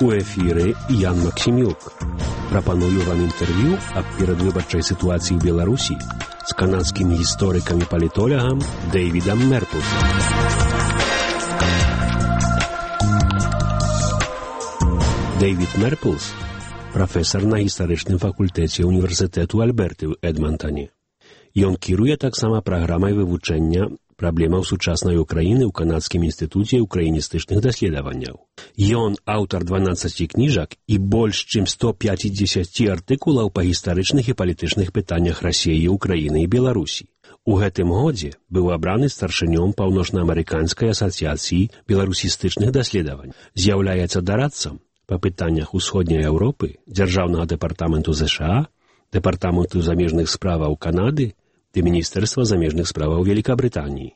У эфіры Ян Максімюк. Прапаную вам інтэрв'ю аб перадвыбарчай сітуацыі ў Беларусі з канадскім гісторыкам і палітолягам Дэйвідам Мерпулсам. Дэйвід Мерпулс – прафесар на гістарычным факультэце універсітэту Альберты ў Эдмантане. Ён кіруе таксама праграмай вывучэння праблемаў сучаснай Украіны ў Канадскім інстытуце украіністычных даследаванняў. Ён аўтар 12 кніжак і больш чым 150 артыкулаў па гістарычных і палітычных пытаннях Расіі, Украіны і Беларусі. У гэтым годзе быў абраны старшынём Паўночнаамерыканскай асацыяцыі беларусістычных даследавань. З'яўляецца дарадцам па пытаннях Усходняй Еўропы, Дзяржаўнага дэпартаменту ЗША, Дэпартаменту замежных справаў Канады ды Міністэрства замежных справаў Великабрытаніі.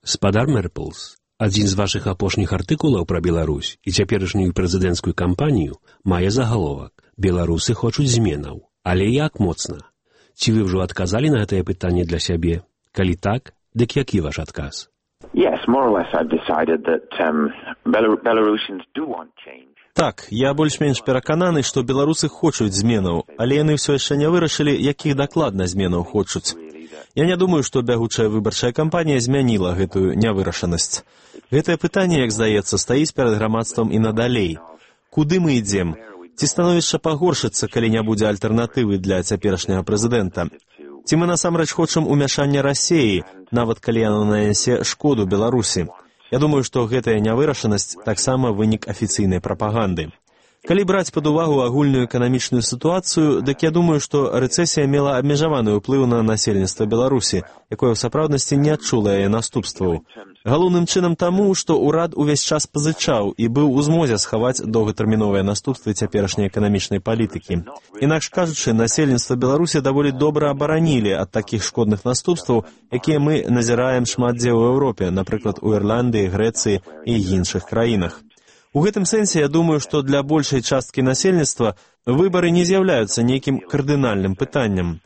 Спадар Мерпулс, адзін з вашых апошніх артыкулаў пра Беларусь і цяперашнюю прэзідэнцкую кампанію мае загаловак «Беларусы хочуць зменаў». Але як моцна? Ці вы ўжо адказалі на гэтае пытанне для сябе? Калі так, дык які ваш адказ? Yes, more or less I've decided that Belarusians do want change. Так, я больш-менш перакананы, што беларусы хочуць зменаў, але яны ўсё яшчэ не вырашылі, якіх дакладна зменаў хочуць. Я не думаю, што бягучая выбарчая кампанія змяніла гэтую нявырашанасць. Гэтае пытанне, як здаецца, стаіць перад грамадствам і надалей. Куды мы ідзем? Ці становішча пагоршыцца, калі не будзе альтэрнатывы для цяперашняга прэзідэнта? Ці мы насамрэч хочам умяшання Расіі, нават калі яно нанясе шкоду Беларусі? Я думаю, што гэтая нявырашанасць таксама вынік афіцыйнай прапаганды. Калі браць пад увагу агульную эканамічную сітуацыю, дык я думаю, што рэцэсія мела абмежаваны ўплыў на насельніцтва Беларусі, якое ў сапраўднасці не адчула яе наступстваў. Галоўным чынам таму, што ўрад увесь час пазычаў і быў у змозе схаваць доўгатэрміновыя наступствы цяперашняй эканамічнай палітыкі. Інакш кажучы, насельніцтва Беларусі даволі добра абаранілі ад такіх шкодных наступстваў, якія мы назіраем шмат дзе ў Еўропе, напрыклад, у Ірландыі, Грэцыі і іншых краінах. У гэтым сэнсе я думаю, што для большай часткі насельніцтва выбары не з'яўляюцца нейкім кардынальным пытаннем.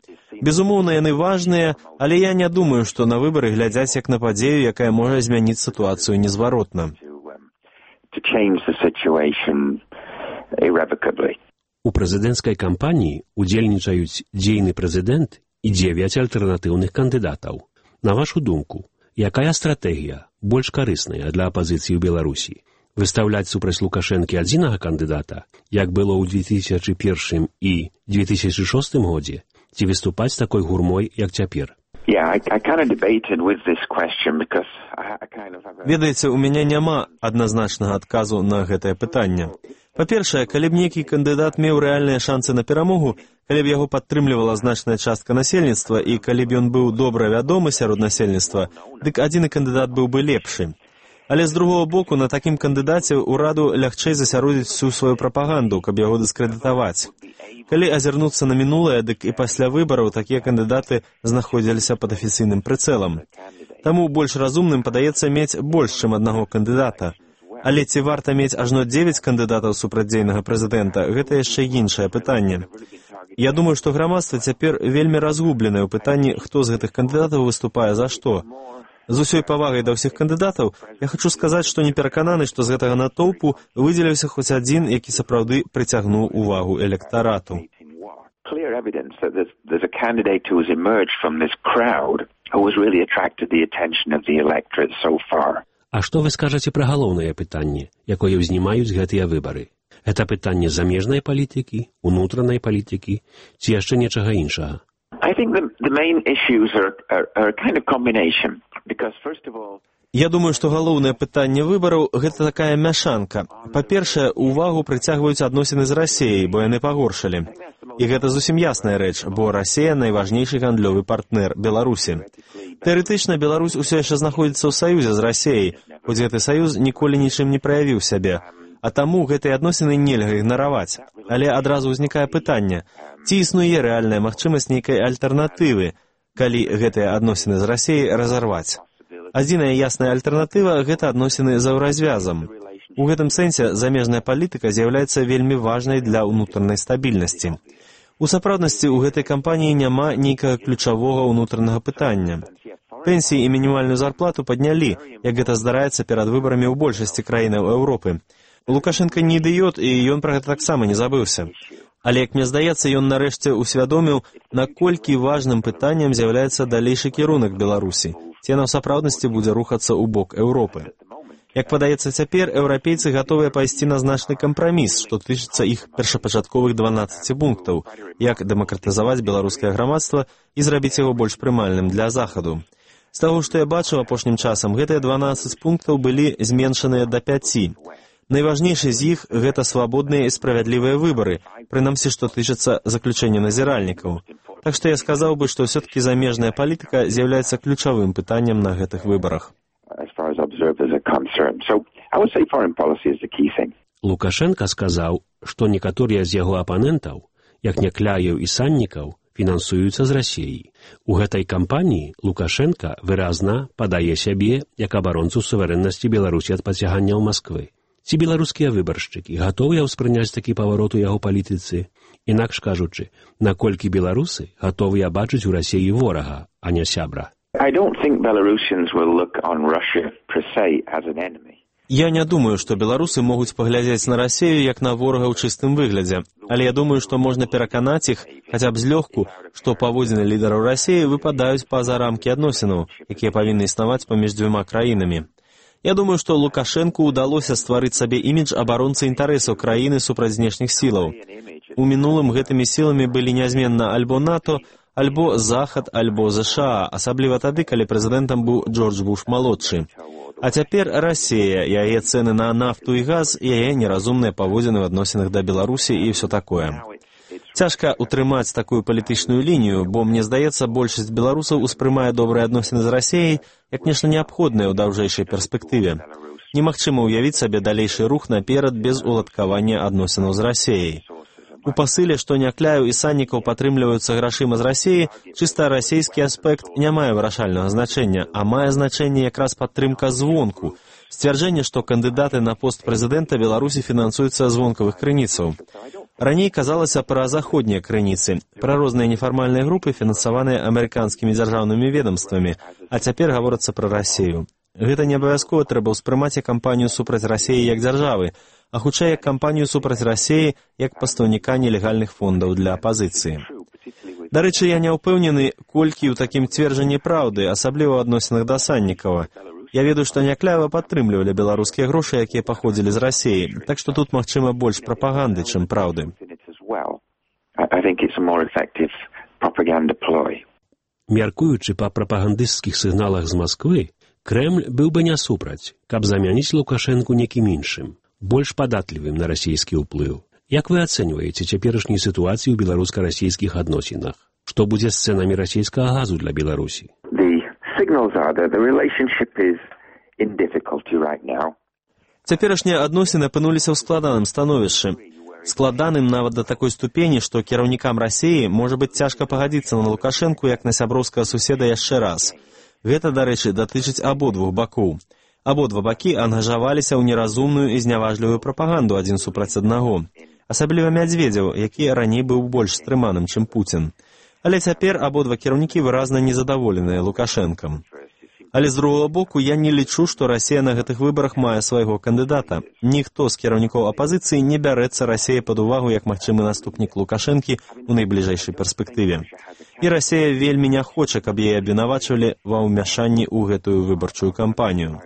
Безумоўна, яны важныя, але я не думаю, што на выбары глядзяць як на падзею, якая можа змяніць сітуацыю незваротна. У прэзідэнцкай кампаніі удзельнічаюць дзейны прэзідэнт і 9 альтэрнатыўных кандыдатаў. На вашу думку, якая стратэгія больш карысная для апазіцыі ў Беларусі? Выстаўляць супраць Лукашэнкі адзінага кандыдата, як было ў 2001 і 2006 годзе, ці выступаць такой гурмой, як цяпер? Ведаеце, у мяне няма адназначнага адказу на гэтае пытанне. Па-першае, калі б нейкі кандыдат меў рэальныя шансы на перамогу, калі б яго падтрымлівала значная частка насельніцтва і калі б ён быў добра вядомы сярод насельніцтва, дык адзіны кандыдат быў бы лепшы. Але з другого боку, на такім кандыдаце ўраду лягчэй засяродзіць всю сваю прапаганду, каб яго дыскрэдытаваць. Калі азірнуцца на мінулае, дык і пасля выбараў такія кандыдаты знаходзіліся пад афіцыйным прыцэлам. Таму больш разумным падаецца мець больш, чым аднаго кандыдата. Але ці варта мець ажно 9 кандыдатаў супрацьдзейнага прэзідэнта, гэта яшчэ іншае пытанне. Я думаю, што грамадства цяпер вельмі разгубленае ў пытанні, хто з гэтых кандыдатаў выступае за што. З усёй павагай да ўсіх кандыдатаў я хачу сказаць, што не перакананы, што з гэтага натоўпу выдзеліўся хоць адзін, які сапраўды прыцягнуў увагу электарату. А што вы скажаце пра галоўнае пытанне, якое ўзнімаюць гэтыя выбары? Гэта пытанне замежнай палітыкі, унутранай палітыкі ці яшчэ нечага іншага? Я думаю, што галоўнае пытанне выбараў – гэта такая мяшанка. Па-першае, увагу прыцягваюць адносіны з Расіяй, бо яны пагоршалі. І гэта зусім ясная рэч, бо Расія – найважнейшы гандлёвы партнер Беларусі. Тэарэтычна, Беларусь усё яшчэ знаходзіцца ў саюзе з Расіяй, хоць гэты саюз ніколі нічым не праявіў сябе. А таму гэтыя адносіны нельга ігнараваць. Але адразу ўзнікае пытанне, ці існуе рэальная магчымасць нейкай альтэрнатывы, калі гэтыя адносіны з Расіяй разарваць. Адзіная ясная альтэрнатыва – гэта адносіны за ўразвязам. У гэтым сэнсе замежная палітыка з'яўляецца вельмі важнай для ўнутранай стабільнасці. У сапраўднасці ў гэтай кампаніі няма нейкага ключавога ўнутранага пытання. Пенсіі і мінімальную зарплату паднялі, як гэта здараецца перад выбарамі ў большасці краінаў Еўропы. Лукашенко не ідыёт, і ён пра гэта таксама не забыўся. Але, як мне здаецца, ён нарэшце усвядоміў, наколькі важным пытаннем з'яўляецца далейшы кірунак Беларусі, ці яна ў сапраўднасці будзе рухацца ў бок Еўропы. Як падаецца цяпер, еўрапейцы гатовыя пайсці на значны кампраміс, што тычыцца іх першапачатковых 12 пунктаў, як дэмакратызаваць беларускае грамадства і зрабіць яго больш прымальным для Захаду. З таго, што я бачыў апошнім часам, гэтыя 12 пунктаў былі зменшаныя да 5. Найважнейшы з іх – гэта свабодныя і справядлівыя выбары, прынамсі, што тычыцца заключэння назіральнікаў. Так што я сказаў бы, што ўсё-такі замежная палітыка з'яўляецца ключавым пытаннем на гэтых выбарах. Лукашенка сказаў, што некаторыя з яго апанентаў, як Някляеў і Саннікаў, фінансуюцца з Расіі. У гэтай кампаніі Лукашенка выразна падае сябе як абаронцу суверэннасці Беларусі ад пацяганняў Масквы. Ці беларускія выбаршчыкі гатовыя ўспрыняць такі паварот у яго палітыцы? Інакш кажучы, наколькі беларусы гатовыя бачыць у Расіі ворага, а не сябра? Я не думаю, што беларусы могуць паглядзець на Расію як на ворага ў чыстым выглядзе, але я думаю, што можна пераканаць іх, хаця б злёгку, што паводзіны лідараў Расіі выпадаюць па-за рамкі адносінаў, якія павінны існаваць паміж дзвюма краінамі. Я думаю, што Лукашэнку ўдалося стварыць сабе імідж абаронцы інтарэсаў краіны супраць знешніх сілаў. У мінулым гэтымі сіламі былі нязменна альбо НАТО, альбо Захад, альбо ЗША, асабліва тады, калі прэзідэнтам быў Джордж Буш-малодшы. А цяпер Расія, яе цэны на нафту і газ, яе неразумныя паводзіны ў адносінах да Беларусі і ўсё такое. Цяжка утрымаць такую палітычную лінію, бо, мне здаецца, большасць беларусаў успрымае добрыя адносіны з Расіяй як нешта неабходнае ў даўжэйшай перспектыве. Немагчыма ўявіць сабе далейшы рух наперад без уладкавання адносінаў з Расіяй. У пасыле, што Някляеў і Саннікаў падтрымліваюцца грашыма з Расіі, чыста расійскі аспект не мае вырашальнага значэння, а мае значэнне якраз падтрымка звонку, сцвярджэнне, што кандыдаты на пост прэзідэнта Беларусі фінансуюцца з вонкавых крыніцаў. Раней казалася пра заходнія крыніцы, пра розныя нефармальныя групы, фінансаваныя амерыканскімі дзяржаўнымі ведамствамі, а цяпер гаворыцца пра Расію. Гэта не абавязкова трэба ўспрымаць як кампанію супраць Расіі як дзяржавы, а хутчэй як кампанію супраць Расіі як пастаўніка нелегальных фондаў для апазіцыі. Дарэчы, я не ўпэўнены, колькі ў такім цверджанні праўды, асабліва ў адносінах да Саннікава. Я ведаю, што Някляева падтрымлівалі беларускія грошы, якія паходзілі з Расіі, так што тут, магчыма, больш прапаганды, чым праўды. Мяркуючы па прапагандысцкіх сігналах з Масквы, Крэмль быў бы не супраць, каб замяніць Лукашэнку некім іншым, больш падатлівым на расійскі ўплыў. Як вы ацэньваеце цяперашнюю сітуацыю ў беларуска-расійскіх адносінах? Што будзе з цэнамі расійскага газу для Беларусі? Цяперашнія адносіны апынуліся ў складаным становішчы. Складаным нават да такой ступені, што кіраўнікам Расіі можа быць цяжка пагадзіцца на Лукашэнку як на сяброўскага суседа яшчэ раз. Гэта, дарэчы, датычыць абодвух бакоў. Абодва бакі ангажаваліся ў неразумную і зняважлівую прапаганду адзін супраць аднаго. Асабліва Мядзведзеў, які раней быў больш стрыманым, чым Пуцін. Але цяпер абодва кіраўнікі выразна незадаволеныя Лукашэнкам. Але з другого боку, я не лічу, што Расія на гэтых выбарах мае свайго кандыдата. Ніхто з кіраўнікоў апазіцыі не бярэцца Расіі пад увагу як магчымы наступнік Лукашэнкі ў найбліжэйшай перспектыве. І Расія вельмі не хоча, каб яе абвінавачвалі ва ўмяшанні ў гэтую выбарчую кампанію.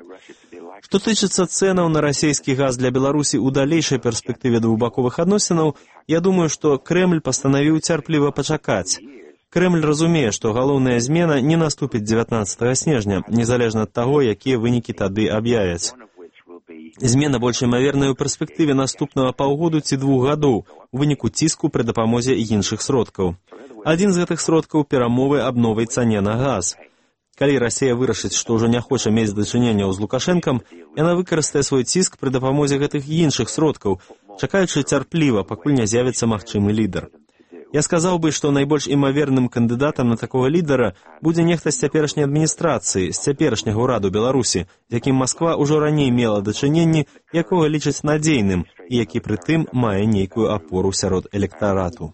Што тычыцца цэнаў на расійскі газ для Беларусі ў далейшай перспектыве двухбаковых адносінаў, я думаю, што Крэмль пастанавіў цярпліва пачакаць. Крэмль разумее, што галоўная змена не наступіць 19 снежня, незалежна ад таго, якія вынікі тады аб'явяць. Змена больш імаверная ў перспектыве наступнага паўгоду ці 2 гадоў у выніку ціску пры дапамозе іншых сродкаў. Адзін з гэтых сродкаў – перамовы аб новай цане на газ. Калі Расія вырашыць, што ўжо не хоча мець дачыненняў з Лукашэнкам, яна выкарыстае свой ціск пры дапамозе гэтых іншых сродкаў, чакаючы цярпліва, пакуль не з'явіцца магчымы лідар. Я сказаў бы, што найбольш імаверным кандыдатам на такога лідара будзе нехта з цяперашняй адміністрацыі, з цяперашняга ўраду Беларусі, з якім Масква ўжо раней мела дачыненні, якога лічаць надзейным і які прытым мае нейкую апору сярод электарату.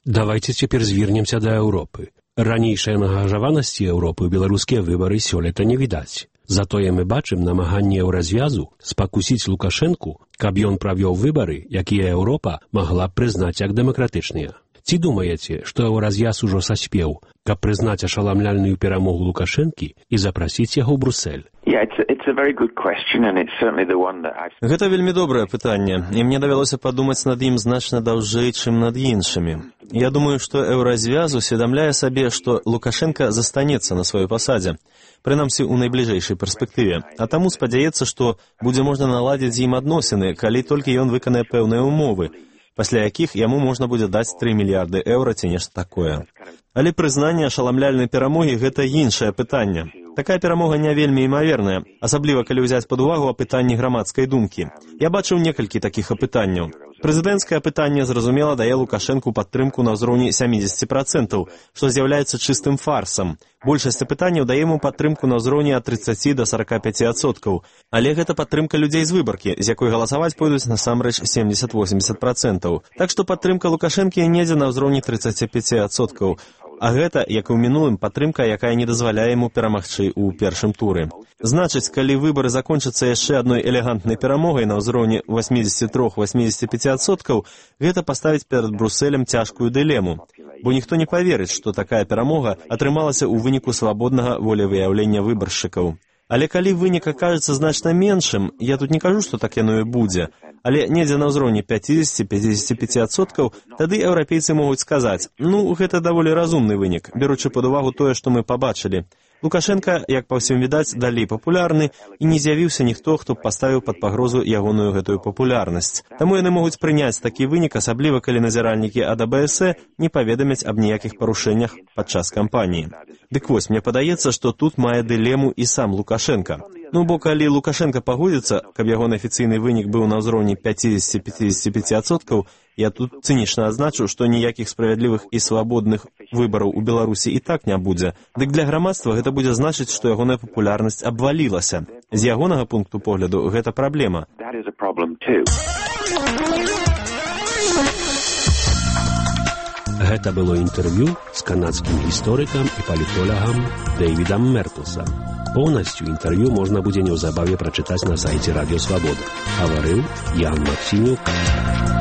Давайте цяпер звернемся да Еўропы. Ранейшай ангажаванасці Еўропы ў беларускія выбары сёлета не відаць. Затое мы бачым намаганне еўразвязу спакусіць Лукашэнку, каб ён правёў выбары, якія Еўропа магла б прызнаць як дэмакратычныя. Ці думаеце, што еўразвяз ужо саспеў, каб прызнаць ашаламляльную перамогу Лукашэнкі і запрасіць яго ў Брусэль? Гэта вельмі добрае пытанне, і мне давялося падумаць над ім значна даўжэй, чым над іншымі. Я думаю, што еўразвяз усведамляе сабе, што Лукашэнка застанецца на сваёй пасадзе, прынамсі ў найбліжэйшай перспектыве, а таму спадзяецца, што будзе можна наладзіць з ім адносіны, калі толькі ён выканае пэўныя ўмовы, пасля якіх яму можна будзе даць 3 мільярды еўра ці нешта такое. Але прызнанне ашаламляльнай перамогі – гэта іншае пытанне. Такая перамога не вельмі імаверная, асабліва калі ўзяць пад увагу апытанні грамадскай думкі. Я бачыў некалькі такіх апытанняў. Прэзідэнцкае апытанне, зразумела, дае Лукашэнку падтрымку на ўзроўні 70%, што з'яўляецца чыстым фарсам. Большасць апытанняў дае яму падтрымку на ўзроўні ад 30 до 45%. Але гэта падтрымка людзей з выбаркі, з якой галасаваць пойдуць насамрэч 70-80%. Так што падтрымка Лукашэнкі недзе на ўзроўні 35%. А гэта, як і ў мінулым, падтрымка, якая не дазваляе яму перамагчы ў першым туры. Значыць, калі выбары закончацца яшчэ адной элегантнай перамогай на ўзроўні 83-85%, гэта паставіць перад Брусэлем цяжкую дылему. Бо ніхто не паверыць, што такая перамога атрымалася ў выніку свабоднага волевыяўлення выбаршчыкаў. Але калі вынік акажацца значна меншым, я тут не кажу, што так яно і будзе, але недзе на ўзроўні 50-55%, тады еўрапейцы могуць сказаць, гэта даволі разумны вынік, беручы пад увагу тое, што мы пабачылі. Лукашэнка, як па ўсім відаць, далей папулярны, і не з'явіўся ніхто, хто б паставіў пад пагрозу ягоную гэтую папулярнасць. Таму яны могуць прыняць такі вынік, асабліва калі назіральнікі ад АБС не паведамяць аб ніякіх парушэннях падчас кампаніі. Дык вось, мне падаецца, што тут мае дылему і сам Лукашэнка. Бо калі Лукашэнка пагодзіцца, каб ягоны афіцыйны вынік быў на ўзроўні 50-55%, я тут цынічна адзначу, што ніякіх справядлівых і свабодных выбараў у Беларусі і так не будзе. Дык для грамадства гэта будзе значыць, што ягоная папулярнасць абвалілася. З ягонага пункту погляду гэта праблема. Гэта было інтэрв'ю з канадскім гісторыкам і палітолагам Дэйвідам Мерплсам. Поўнасцю інтэрв'ю можна будзе неўзабаве прачытаць на сайце Радыё Свабода. Гаварыў Ян Максімюк.